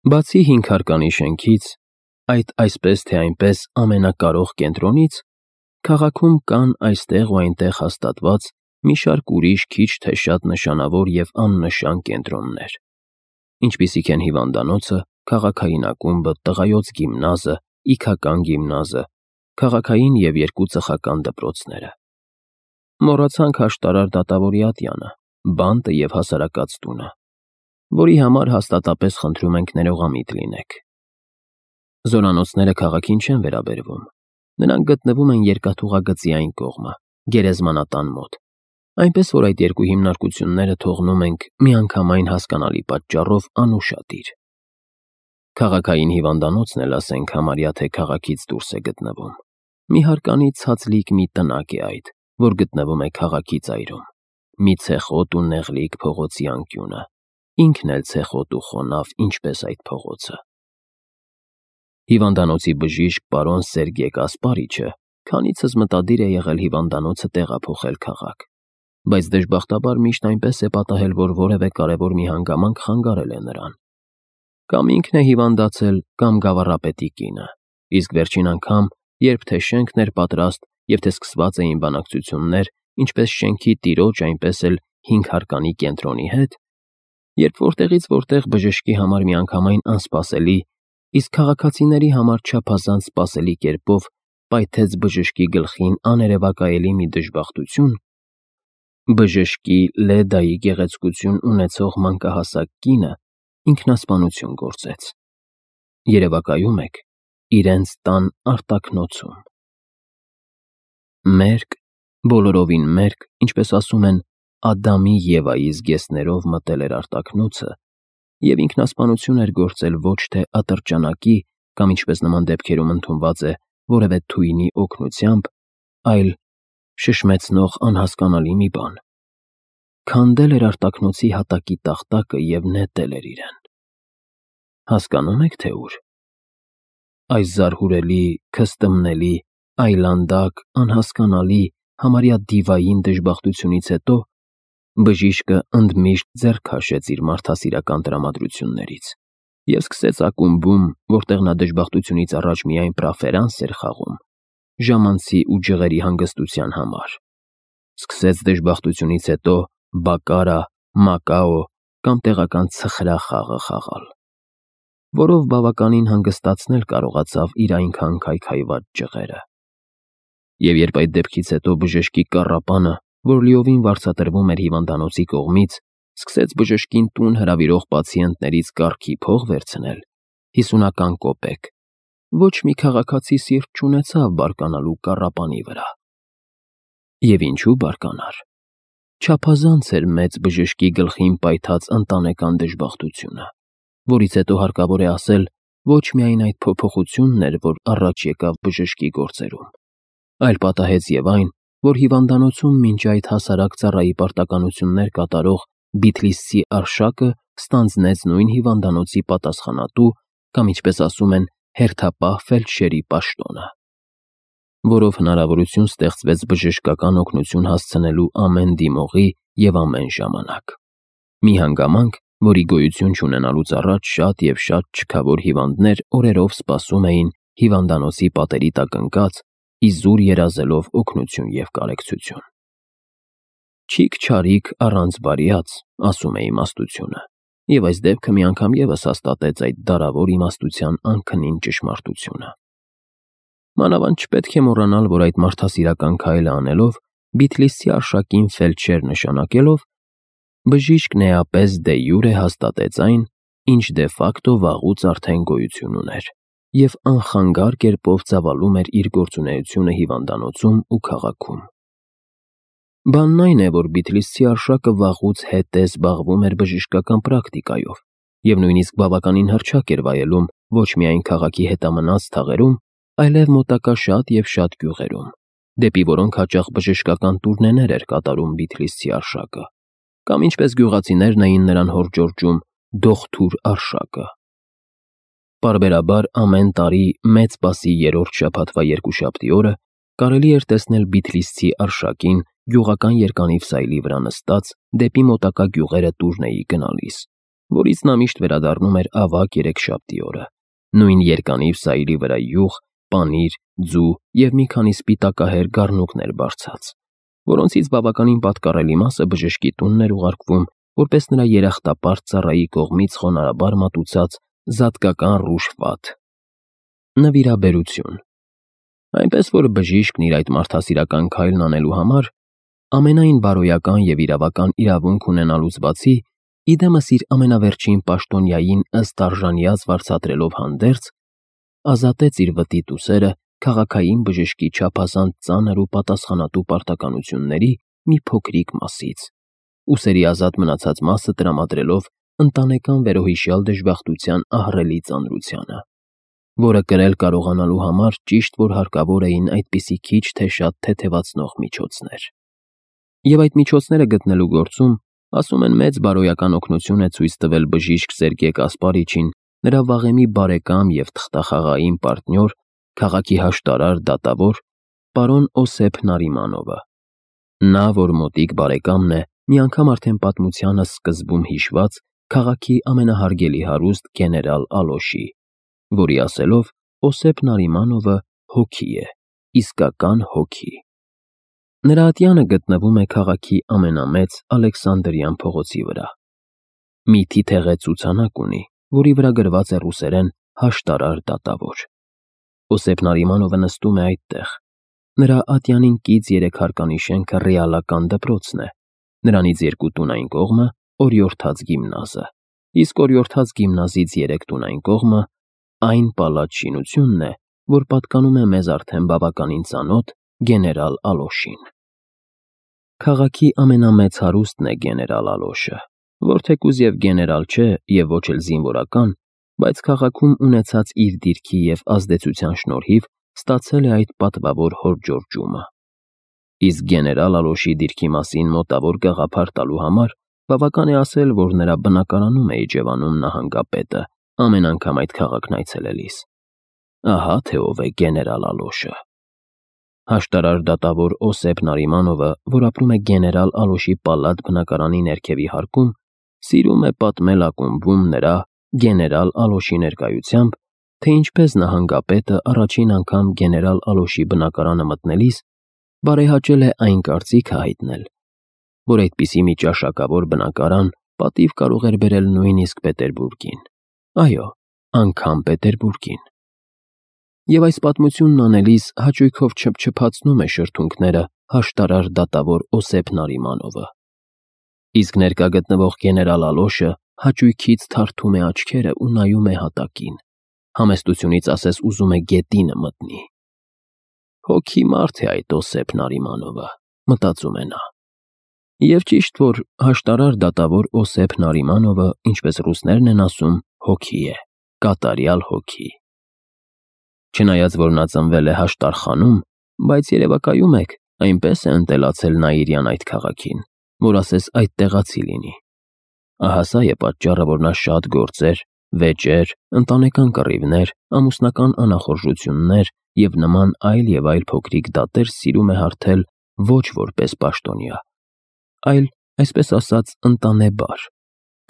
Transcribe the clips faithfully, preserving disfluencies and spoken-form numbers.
Բացի հինգ հարկանի շենքից, այդ այսպես թե այնպես ամենակարող կենտրոնից, քաղաքում կան այստեղ ու այնտեղ հաստատված մի շարք ուրիշ քիչ թե շատ նշանավոր և աննշան կենտրոններ, ինչպիսիք են հիվանդանոցը, քաղաքային ակումբը, տղայոց գիմնազը, իգական գիմնազը, քաղաքային և երկու ծխական դպրոցները։ Մոռացանք աշտարար դատավորի ատյանը, բանտը և հասարակած տունը, որի համար հաստատապես խնդրում ենք ներողամիտ լինեք։ Զորանոցները քաղաքին չեն վերաբերվում, նրանք գտնվում են երկաթուղագծի այն կողմը, գերեզմանատան մոտ, այնպես որ այդ երկու հիմնարկությունները թողնում ենք միանգամայն հասկանալի պատճառով անուշադիր։ Քաղաքային հիվանդանոցն էլ, ասենք, համարյա թե քաղաքից դուրս է գտնվում, մի հարկանի ցածլիկ մի տնակ է այդ, որ գտնվում է քաղաքի ծայրում, մի ցեխոտ ու նեղլիկ փողոցի անկյունը, ինքն էլ ցեխոտ ու խոնավ, ինչպես այդ փողոցը։ Հիվանդանոցի բժիշկ պարոն Սերգեյ Կասպարիչը քանիցս մտադիր է եղել հիվանդանոցը տեղափոխել քաղաք, բայց դժբախտաբար միշտ այնպես է պատահել, որ որևէ կարևոր մի հանգամանք խանգարել է նրան։ Կամ ինքն է հիվանդացել, կամ գավառապետի կինը, իսկ վերջին անգամ, երբ թե շենքն էր պատրաստ և թե սկսված էին բանակցություններ ինչպես շենքի տիրոջ, այնպես էլ հինգ հարկանի կենտրոնի հետ, երբ որտեղից որտեղ բժշկի համար միանգամայն անսպասելի, իսկ քաղաքացիների համար չափազանց սպասելի կերպով պայթեց բժշկի գլխին աներևակայելի մի դժբախտություն, բժշկի Լեդայի գեղեցկություն ունեցող մանկահասակ կինը ինքնասպանություն գործեց։ Երևակայում եք իրենց տան արտաքնոցում։ Մերկ, բոլորովին մերկ, ինչպես ասում են, Ադամի Եվայի զգեստներով մտել էր արտաքնոցը և ինքնասպանություն էր գործել ոչ թե ատրճանակի կամ, ինչպես նման դեպքերում ընդունված է, որևէ թույնի օգնությամբ, այլ շշմեցնող անհասկանալի մի բան։ Քանդել էր արտաքնոցի հատակի տախտակը և նետել էր իրեն։ Հասկանո՞ւմ եք, թե ուր։ Այս զարհուրելի, քստմնելի, այլանդակ, անհասկանալի, համարյա դիվային դժբախտությունից հետո բժիշկը ընդմիշտ ձեռք քաշեց իր մարդասիրական տրամադրություններից և սկսեց ակումբում, որտեղ նա դժբախտությունից առաջ միայն պրաֆերանս էր խաղում, ժամանցի ու ջղերի հանգստության համար, սկսեց դժբախտությունից հետո բակարա, մակաո կամ տեղական ցխրա խաղը խաղալ, որով բավականին հանգստացնել կարողացավ իր այնքան քայքայված ջղերը։ Եվ երբ այդ դեպքից հետո բժշկի կառապանը, որ լիովին վարձատրվում էր հիվանդանոցի կողմից, սկսեց բժշկին տուն հրավիրող պացիենտներից կարգի փող վերցնել, հիսունական կոպեկ, ոչ մի քաղաքացի սիրտ չունեցավ բարկանալու կառապանի վրա։ Եվ ինչու բարկանար։ Չափազանց էր մեծ բժշկի գլխին պայթած ընտանեկան դժբախտությունը, որից հետո հարկավոր է ասել, ոչ միայն այդ փոփոխությունն էր, որ առաջ եկավ բժշկի գործերում, այլ պատահեց և այն, որ հիվանդանոցում մինչ այդ հասարակ ծառայի պարտականություններ կատարող Բիթլիսցի Արշակը ստանձնեց նույն հիվանդանոցի պատասխանատու կամ, ինչպես ասում են, հերթապահ ֆելդշերի պաշտոնը, որով հնարավորություն ստեղծվեց բժշկական օգնություն հասցնելու ամեն դիմողի և ամեն ժամանակ։ Մի հանգամանք, որի գոյություն չունենալուց առաջ շատ և շատ չքավոր հիվանդներ օրերով սպասում էին հիվանդանոցի պատերի տակ ընկած, իզուր երազելով օգնություն և կարեկցություն։ Չիք չարիք առանց բարիած, ասում է իմաստությունը, և այս դեպքը մի անգամ ևս հաստատեց այդ դարավոր իմաստության անքնին ճշմարտությունը։ Մանավանդ չպետք է մոռանալ, որ այդ մարդասիրական քայլը անելով, Բիթլիսցի Արշակին ֆելդշեր նշանակելով, բժիշկն էապես դե յուրե հաստատեց այն, ինչ դե ֆակտո վաղուց արդեն գոյություն ուներ և անխանգար կերպով ծավալում էր իր գործունեությունը հիվանդանոցում ու քաղաքում։ Բանն այն է, որ Բիթլիսցի Արշակը վաղուց հետ է զբաղվում էր բժշկական պրակտիկայով և նույնիսկ բավականին հռչակ էր վայելում ոչ միայն քաղաքի հետամնաց թաղերում, այլև մոտակա շատ և շատ գյուղերում, դեպի որոնք հաճախ բժշկական տուրնեներ էր կատարում Բիթլիսցի Արշակը, կամ ինչպես գյուղացիներն էին նրան հորդորում Դողթուր Արշակը։ Պարբերաբար ամեն տարի Մեծ Պասի երրորդ շաբաթվա երկուշաբթի օրը կարելի էր տեսնել Բիթլիսցի Արշակին գյուղական երկանիվ սայլի վրա նստած դեպի մոտակա գյուղերը տուրնեի գնալիս, որից նա միշտ վերադառնում էր ավագ երեքշաբթի օրը, նույն երկանիվ սայրի վրա յուղ, պանիր, ձու և մի քանի սպիտակահեր գառնուկներ բարձած, որոնցից բավականին պատկառելի մասը բժշկի տունն էր ուղարկվում, որպես նրա երախտապարտ ծառայի կողմից խոնարհաբար մատուցած զատկական ռուժ վատ։ Նվիրաբերություն։ Այնպես որ բժիշկն իր այդ մարդասիրական քայլն անելու համար ամենայն բարոյական և իրավական իրավունք ունենալուց բացի, ի դեմս իր ամենավերջին պաշտոնյային ըստ արժանյաց վարձատրելով հանդերձ, ազատեց իր վտիտ ուսերը քաղաքային բժշկի չափազանց ծանր ու պատասխանատու պարտականությունների մի փոքրիկ մասից, ուսերի ազատ մնացած մասը տրամադրելով ընտանեկան վերոհիշյալ դժբախտության ահռելի ծանրությանը, որը կրել կարողանալու համար ճիշտ որ հարկավոր էին այդպիսի քիչ թե շատ թեթևացնող միջոցներ։ Եվ այդ միջոցները գտնելու գործում, ասում են, մեծ բարոյական օգնություն է ցույց տվել բժիշկ Սերգեյ Կասպարիչին, նրա վաղեմի բարեկամ և թղթախաղային պարտնյոր, քաղաքի հաշտարար դատավոր, պարոն Օսեփ Նարիմանովը։ Նա, որ մոտիկ բարեկամն է, մի անգամ արդեն պատմությանս սկզբում հիշված քաղաքի ամենահարգելի հարուստ գեներալ Ալոշի, որի ասելով Օսեփ Նարիմանովը հոգի է, իսկական հոգի։ Նրա ատյանը գտնվում է քաղաքի ամենամեծ Ալեքսանդրյան փողոցի վրա։ Մի թիթեղե ցուցանակ ունի, որի վրա գրված է ռուսերեն հաշտարար դատավոր։ Օսեփ Նարիմանովը նստում է այդտեղ։ Նրա ատյանին կից երեք հարկանի շենքը ռեալական դպրոցն է, նրանից երկու տուն այն կողմը օրիորդաց գիմնազը, իսկ օրիորդաց գիմնազից երեք տուն այն կողմը այն պալատ շինությունն է, որ պատկանում է մեզ արդեն բավականին ծանոթ գեներալ Ալոշին։ Քաղաքի ամենամեծ հարուստն է գեներալ Ալոշը, որ թեկուզ և գեներալ չէ և ոչ էլ զինվորական, բայց քաղաքում ունեցած իր դիրքի և ազդեցության շնորհիվ ստացել է այդ պատվավոր հորձջորջումը։ Իսկ գեներալ Ալոշի դիրքի մասին մոտավոր գաղափար տալու համար բավական է ասել, որ նրա բնակարանում է իջևանում նահանգապետը ամեն անգամ այդ քաղաքն այցելելիս։ Ահա թե ով է գեներալ Ալոշը։ Հաշտարար դատավոր Օսեփ Նարիմանովը, որ ապրում է գեներալ Ալոշի պալատ բնակարանի ներքևի հարկում, սիրում է պատմել ակումբում նրա գեներալ Ալոշի ներկայությամբ, թե ինչպես նահանգապետը առաջին անգամ գեներալ Ալոշի բնակարանը մտնելիս բարեհաճել է այն կարծիքը հայտնել, որ այդպիսի մի ճաշակավոր բնակարան պատիվ կարող էր բերել նույնիսկ Պետերբուրգին, այո, անգամ Պետերբուրգին։ Եվ այս պատմությունն անելիս հաճույքով չփչփացնում է շրթունքները հաշտարար դատավոր Օսեփ Նարիմանովը։ Իսկ ներկա գտնվող գեներալ Ալոշը հաճույքից թարթում է աչքերը ու նայում է հատակին, համեստությունից ասես ուզում է գետինը մտնի։ Հոգի մարդ է այդ Օսեփ Նարիմանովը, մտածում է նա։ Եվ ճիշտ որ հաշտարար դատավոր Օսեփ Նարիմանովը, ինչպես ռուսներն են ասում, հոգի է, կատարյալ հոգի։ Չնայած որ նա ծնվել է Հաշտարխանում, բայց երևակայում եք, այնպես է ընտելացել Նաիրյան այդ քաղաքին, որ ասես այդ տեղացի լինի։ Ահա սա է պատճառը, որ նա շատ գործեր, վեճեր, ընտանեկան կռիվներ, ամուսնական անախորժություններ և նման այլ և այլ փոքրիկ դատեր սիրում է հարթել ոչ որպես պաշտոնյա, այլ, այսպես ասած, ընտանեբար,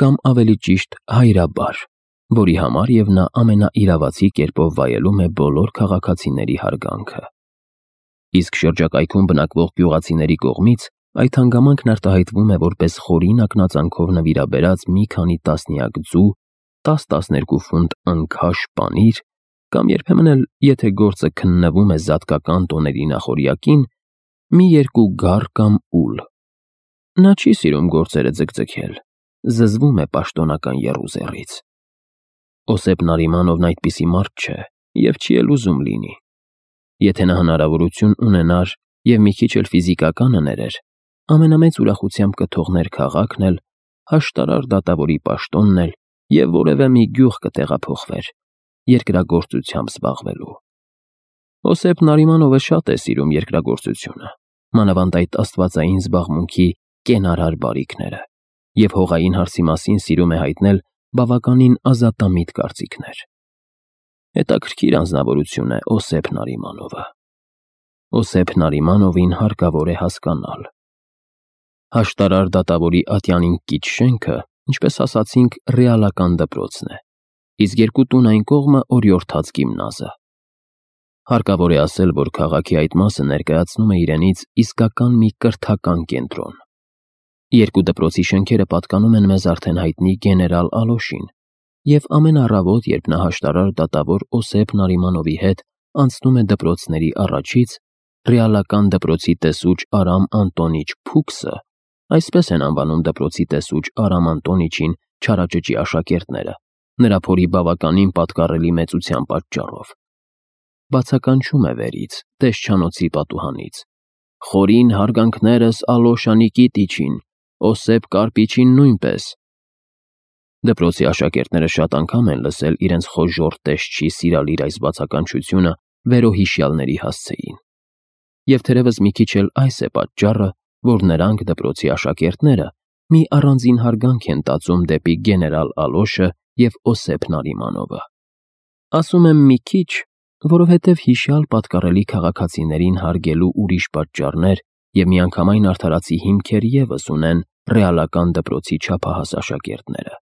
կամ ավելի ճիշտ հայրաբար, որի համար և նա ամենաիրավացի կերպով վայելում է բոլոր քաղաքացիների հարգանքը։ Իսկ շրջակայքում բնակվող գյուղացիների կողմից այդ հանգամանքն արտահայտվում է որպես խորին ակնածանքով նվիրաբերած մի քանի տասնյակ ձու, տաս-տասներկու ֆունտ ընքաշ պանիր, կամ երբեմն էլ, եթե գործը քննվում է զատկական տոների նախօրյակին, մի երկու գառ կամ ուլ։ Նա չի սիրում գործերը ձգձգել, զզվում է պաշտոնական եռուզեռից։ Օսեփ Նարիմանովն այդպիսի մարդ չէ և չի էլ ուզում լինի։ Եթե նա հնարավորություն ունենար և մի քիչ էլ ֆիզիկականը ներեր, ամենամեծ ուրախությամբ կթողներ քաղաքն էլ, հաշտարար դատավորի պաշտոնն էլ և որևէ մի գյուղ կտեղափոխվեր, երկրագործությամբ զբաղվելու։ Օսեփ Նարիմանովը շատ է սիրում երկրագործությունը, մանավանդ այդ աստվածային զբաղմունքի կենարար բարիքները, և հողային հարցի մասին սիրում է հայտնել բավականին ազատամիտ կարծիքներ։ Հետաքրքիր անձնավորություն է Օսեփ Նարիմանովը։ Օսեփ Նարիմանովին հարկավոր է հասկանալ։ Հաշտարար դատավորի ատյանին կից շենքը ինչպես ասացինք, ռեալական դպրոցն է, իսկ երկու տուն այն կողմը օրիորդաց գիմնազը։ Հարկավոր է ասել, որ քաղաքի այդ մասը ներկայացնում է իրենից իսկական մի կրթական կենտրոն։ Երկու դպրոցի շենքերը պատկանում են մեզ արդեն հայտնի գեներալ Ալոշին, և ամեն առավոտ, երբ նա հաշտարար դատավոր Օսեփ Նարիմանովի հետ անցնում է դպրոցների առաջից, ռեալական դպրոցի տեսուչ Արամ Անտոնիչ Փուքսը, այսպես են անվանում դպրոցի տեսուչ Արամ Անտոնիչին չարաճճի աշակերտները, նրա փորի բավականին պատկառելի մեծության պատճառով, բացականչում է վերից, տեսչանոցի պատուհանից. «Խորին հարգանքներս Ալոշ Նիկիտիչին, Օսեփ Կարպիչին նույնպես»։ Դպրոցի աշակերտները շատ անգամ են լսել իրենց խոժոռ տեսչի սիրալիր այս բացականչությունը վերոհիշյալների հասցեին։ Եվ թերևս մի քիչ էլ այս է պատճառը, որ նրանք, դպրոցի աշակերտները, մի առանձին հարգանք են տածում դեպի գեներալ Ալոշը և Օսեփ Նարիմանովը։ Ասում եմ մի քիչ, որովհետև հիշյալ պատկառելի քաղաքացիներին հարգելու ուրիշ պատճառներ և միանգամայն արդարացի հիմքեր ևս ունեն ռեալական դպրոցի չափահաս աշակերտները։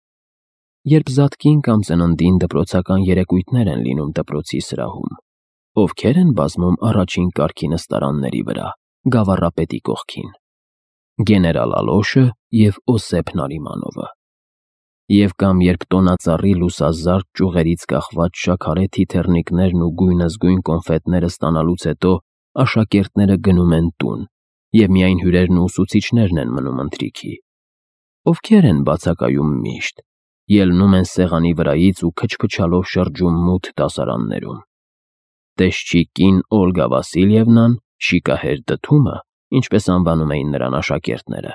Երբ զատկին կամ ծննդին դպրոցական երեկույթներ են լինում դպրոցի սրահում, ովքեր են բազմում առաջին կարգի նստարանների վրա, գավառապետի կողքին։ Գեներալ Ալոշը և Օսեփ Նարիմանովը։ Եվ կամ երբ տոնածառի լուսազարդ ճյուղերից կախված շաքարե թիթեռնիկներն ու գույնզգույն կոնֆետները ստանալուց հետո աշակերտները գնում են տուն, և միայն հյուրերն ու ուսուցիչներն են մնում ընթրիքի։ Ովքեր են բացակայում միշտ, ելնում են սեղանի վրայից ու քչփչալով շրջում մութ դասարաններում։ Տեսչի կին Օլգա Վասիլևնան, շիկահեր Դդումը, ինչպես անվանում էին նրան աշակերտները,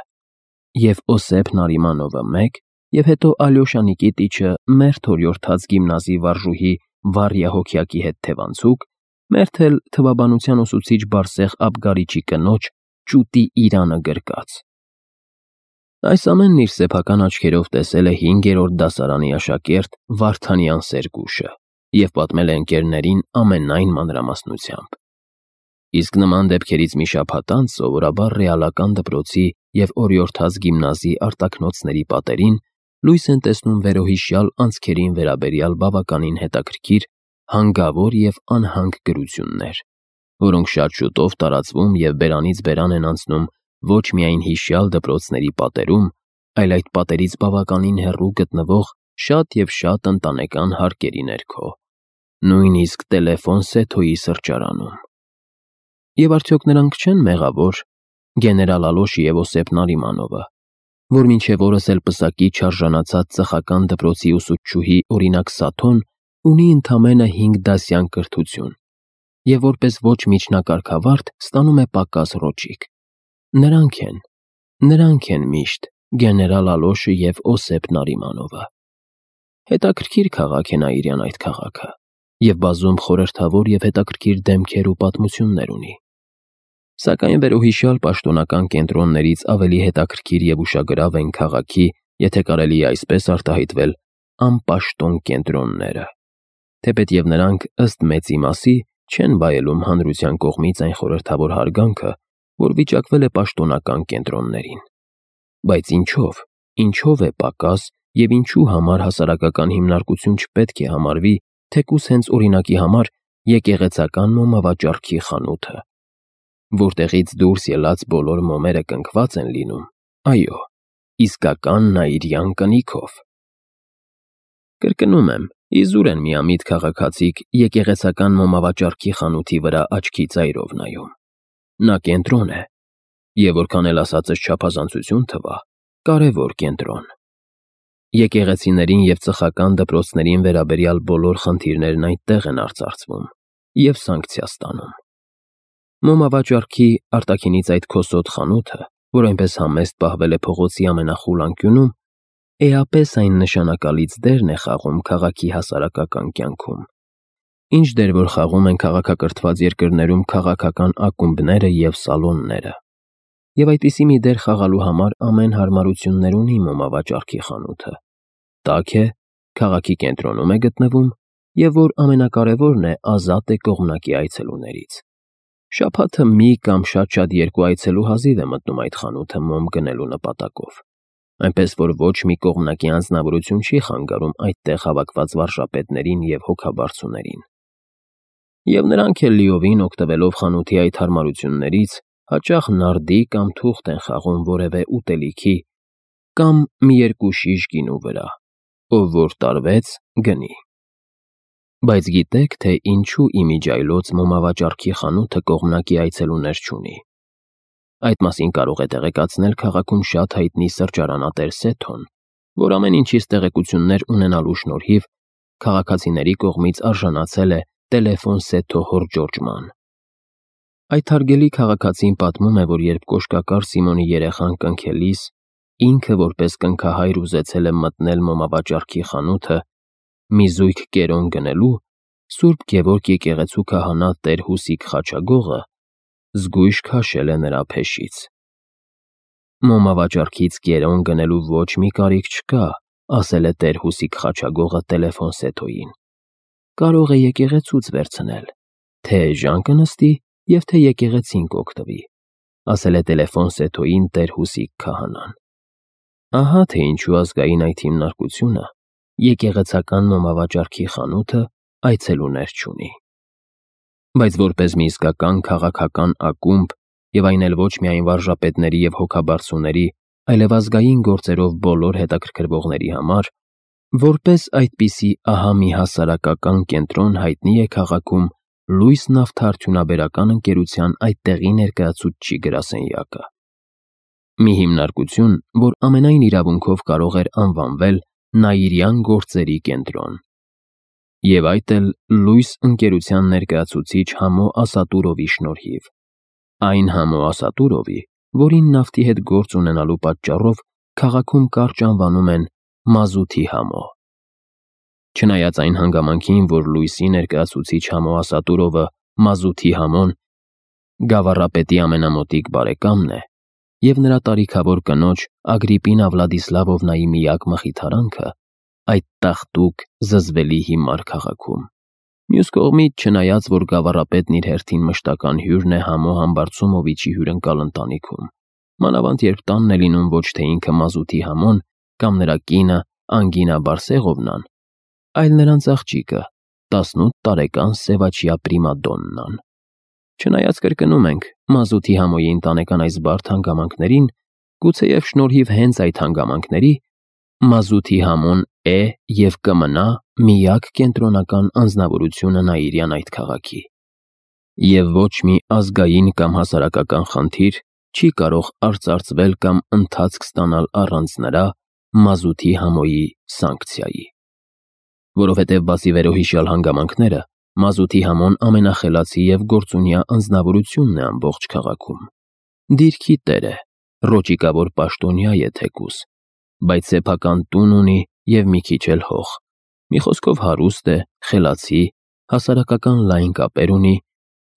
և Օսեփ Նարիմանովը մեկ, և հետո Ալյոշա Նիկիտիչը մերթ օրիորդաց գիմնազի վարժուհի Վարյա Հոգյակի հետ թևանցուկ, մերթ էլ թվաբանության ուսուցիչ Բարսեղ Աբգարիչի կնոջ ճուտի Իրանը գրկած։ Այս ամենն իր սեփական աչքերով տեսել է հինգերորդ դասարանի աշակերտ Վարդանյան Սերգուշը և պատմել է ընկերներին ամենայն մանրամասնությամբ։ Իսկ նման դեպքերից մի շաբաթ անց սովորաբար ռեալական դպրոցի և օրիորդաց գիմնազի արտաքնոցների պատերին լույս են տեսնում վերոհիշյալ անցքերին վերաբերյալ բավականին հետաքրքիր, հանգավոր և անհանգ գրություններ, որոնք շատ շուտով տարածվում և բերանից բերան են անցնում ոչ միայն հիշյալ դպրոցների պատերում, այլ այդ պատերից բավականին հեռու գտնվող շատ և շատ ընտանեկան հարկերի ներքո, նույնիսկ Տելեֆոն Սեթոյի սրճարանում։ Եվ արդյոք նրանք չեն մեղավոր, գեներալ Ալոշը և Օսեփ Նարիմանովը, որ մինչև օրս էլ պսակի չարժանացած ծխական դպրոցի ուսուցչուհի օրինակ Սաթոն ունի ընդամենը հինգ դասյան կրթություն և որպես ոչ միջնակարգավարտ ստանում է պակաս ռոճիկ։ Նրանք են, նրանք են միշտ գեներալ Ալոշը և Օսեփ Նարիմանովը։ Հետաքրքիր քաղաք է Նաիրյան այդ քաղաքը, և բազում խորհրդավոր և հետաքրքիր դեմքեր ու պատմություններ ունի։ Սակայն վերոհիշյալ պաշտոնական կենտրոններից ավելի հետաքրքիր և ուշագրավ են քաղաքի, եթե կարելի է այսպես արտահայտվել, անպաշտոն կենտրոնները, թեպետև նրանք, ըստ մեծի մասի, չեն վայելում հանրության կողմից այն խորհրդավոր հարգանքը, որ վիճակվել է պաշտոնական կենտրոններին։ Բայց ինչո՞վ, ինչո՞վ է պակաս և ինչու համար հասարակական հիմնարկություն չպետք է համարվի թեկուզ հենց օրինակի համար եկեղեցական մոմավաճառքի խանութը, որտեղից դուրս ելած բոլոր մոմերը կնքված են լինում, այո, իսկական նաիրյան կնիքով։ Կրկնում եմ, իզուր են միամիտ քաղաքացիք եկեղեցական մոմավաճառքի խանութի վրա աչքի ծայրով նայում։ Նա կենտրոն է, և որքան էլ ասածս չափազանցություն թվա, կարևոր կենտրոն։ Եկեղեցիներին և ծխական դպրոցներին վերաբերյալ բոլոր խնդիրներն այդտեղ են արծարծվում և սանկցիա ստանում։ Մոմավաճառքի արտաքինից այդ քոսոտ խանութը, որ այնպես համեստ պահվել է փողոցի ամենախուլ անկյունում, էապես այն նշանակալից դերն է խաղում քաղաքի հասարակական կյանքում, ինչ դեր որ խաղում են քաղաքակրթված երկրներում քաղաքական ակումբները և սալոնները։ Եվ այդպիսի մի դեր խաղալու համար ամեն հարմարություններ ունի մոմավաճառքի խանութը, տաք է, քաղաքի կենտրոնում է գտնվում և, որ ամենակարևորն է, ազատ է կողմնակի այցելուներից։ Շաբաթը մի կամ շատ-շատ երկու այցելու հազիվ է մտնում այդ խանութը մոմ գնելու նպատակով։ այնպես որ ոչ մի կողմնակի անձնավորություն չի խանգարում այդտեղ հավաքված վարժապետներին և հոգաբարձուներին։ Եվ նրանք էլ լիովին օգտվելով խանութի այդ հարմարություններից, հաճախ նարդի կամ թուղթ են խաղում որևէ ուտելիքի կամ մի երկու շիշ գինու վրա, ով որ տարվեց, գնի։ Բայց գիտեք, թե ինչու իմիջիայլոց մոմավաճառքի խանութը կողմնակի այցելուներ չունի։ Այդ մասին կարող է տեղեկացնել քաղաքում շատ հայտնի սրճարանատեր Սեթոն, որ ամեն ինչից տեղեկություններ ունենալու շնորհիվ քաղաքացիների կողմից արժանացել է տելեֆոն Սեթո հորճորջման։ Այդ հարգելի քաղաքացին պատմում է, որ երբ կոշկակար Սիմոնի երեխան կնքելիս, ինքը որպես կնքահայր ուզեցել է մտնել մոմավաճառքի խանութը մի զույգ կերոն գնելու, Սուրբ Գևորգ եկեղեցու քահանա տեր Հուսիկ Խաչագողը զգույշ քաշել է նրա փեշից։ Մոմավաճառքից կերոն գնելու ոչ մի կարիք չկա, ասել է տեր Հուսիկ Խաչագողը տելեֆոն Սեթոյին։ Կարող է եկեղեցուց վերցնել, թե էժան կնստի և թե եկեղեցին կօգտվի, ասել է տելեֆոն Սեթոյին տեր Հուսիկ քահանան։ Ահա թե ինչու ազգային այդ հիմնարկությունը եկեղեցական մոմավաճառքի խանութը այցելուներ չունի։ Բայց որպես մի իսկական քաղաքական ակումբ, և այն էլ ոչ միայն վարժապետների և հոգաբարձուների, այլև ազգային գործերով բոլոր հետաքրքրվողների համար, որպես այդպիսի ահա մի հասարակական կենտրոն հայտնի է քաղաքում Լույս նավթարդյունաբերական ընկերության այդտեղի ներկայացուցչի գրասենյակը։ Մի հիմնարկություն, որ ամենայն իրավունքով կարող էր անվանվել Նաիրյան գործերի կենտրոն։ Եվ այդ էլ Լույս ընկերության ներկայացուցիչ Համո Ասատուրովի շնորհիվ։ Այն Համո Ասատուրովի, որին նավթի հետ գործ ունենալու պատճառով քաղաքում կարճ անվանում են Մազութի Համո։ Չնայած այն հանգամանքին, որ Լույսի ներկայացուցիչ Համո Ասատուրովը Մազութի Համոն գավառապետի ամենամոտիկ բարեկամն է, և նրա տարիքավոր կնոջ Ագրիպինա Վլադիսլավովնայի միակ մխիթարանքը այդ տաղտուկ, զզվելի հիմար քաղաքում։ Մյուս կողմից, չնայած որ գավառապետն իր հերթին մշտական հյուրն է Համո Համբարձումովիչի հյուրընկալ ընտանիքում, մանավանդ երբ տանն է լինում ոչ թե ինքը Մազութի Համոն կամ նրա կինը Անգինա Բարսեղովնան, այլ նրանց աղջիկը, տասնութ տարեկան Սևաչյա Պրիմադոննան։ Չնայած կրկնում ենք, Մազութի Համոյի ընտանեկան այս բարդ հանգամանքներին, գուցեև շնորհիվ հենց այդ հանգամանքների, Մազութի Համոն է և կմնա միակ կենտրոնական անձնավորությունը Նաիրյան այդ քաղաքի։ Եվ ոչ մի ազգային կամ հասարակական խնդիր չի կարող արծարծվել կամ ընթացք ստանալ առանց նրա Մազութի Համոյի սանկցիայի։ Որովհետև բացի վերոհիշյալ հանգամանքները, Մազութի Համոն ամենախելացի և գործունյա անձնավորությունն է ամբողջ քաղաքում։ Դիրքի տեր է, ռոճիկավոր պաշտոնյա է թեկուզ, բայց սեփական տուն ունի և մի քիչ էլ հող, մի խոսքով հարուստ է, խելացի, հասարակական լայն կապեր ունի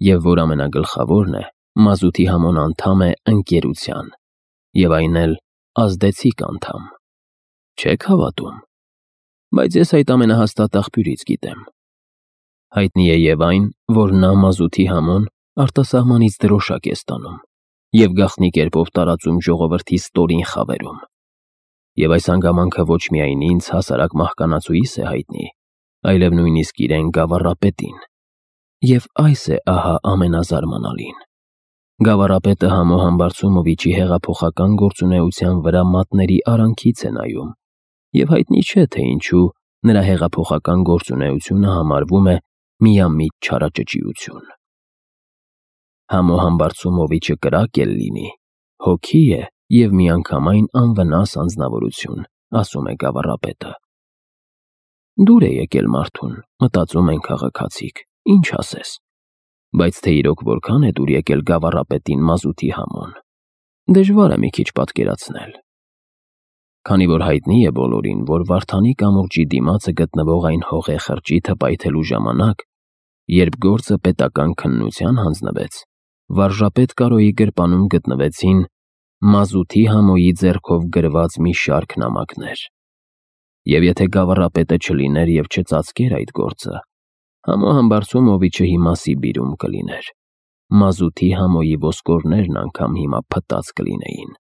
և, որ ամենագլխավորն է, Մազութի Համոն անդամ է ընկերության, և այն էլ ազդեցիկ անդամ։ Չե՞ք հավատում։ Բայց ես այդ ամենահաստատ աղբյուրից գիտեմ։ Հայտնի է և այն, որ նա Մազութի Համոն արտասահմանից դրոշակ է ստանում և գաղտնի կերպով տարածում ժողովրդի ստորին խավերում։ Եվ այս հանգամանքը ոչ միայն ինձ հասարակ մահկանացուիս է հայտնի, այլև նույնիսկ իրեն գավառապետին։ Եվ այս է ահա ամենազարմանալին. գավառապետը Համո Համբարձումովիչի հեղափոխական գործունեության վրա մատների արանքից է նայում, և հայտնի չէ, թե ինչու նրա հեղափոխական գործունեությունը համարվում է միամիտ չարաճճիություն։ Համո Համբարձումովիչը կրակ էլ լինի, հոգի է և միանգամայն անվնաս անձնավորություն, ասում է գավառապետը։ Դուր է եկել մարդուն, մտածում են քաղաքացիք, ինչ ասես։ Բայց թե իրոք որքան է դուր եկել գավառապետին Մազութի Համոն, դժվար է մի քիչ պատկերացնել։ Քանի որ հայտնի է բոլորին, որ Վարդանի կամուրջի դիմացը գտնվող այն հողե խրճիթը պայթելու ժամանակ, երբ գործը պետական քննության հանձնվեց, վարժապետ Կարոյի գրպանում գտնվեցին Մազութի Համոյի ձեռքով գրված մի շարք նամակներ։ Եվ եթե գավառապետը չլիներ և չծածկեր այդ գործը, Համո Համբարձումովիչը հիմա Սիբիրում կլիներ։ Մազութի Համոյի ոսկորներն անգամ հիմա փտած կլինեին։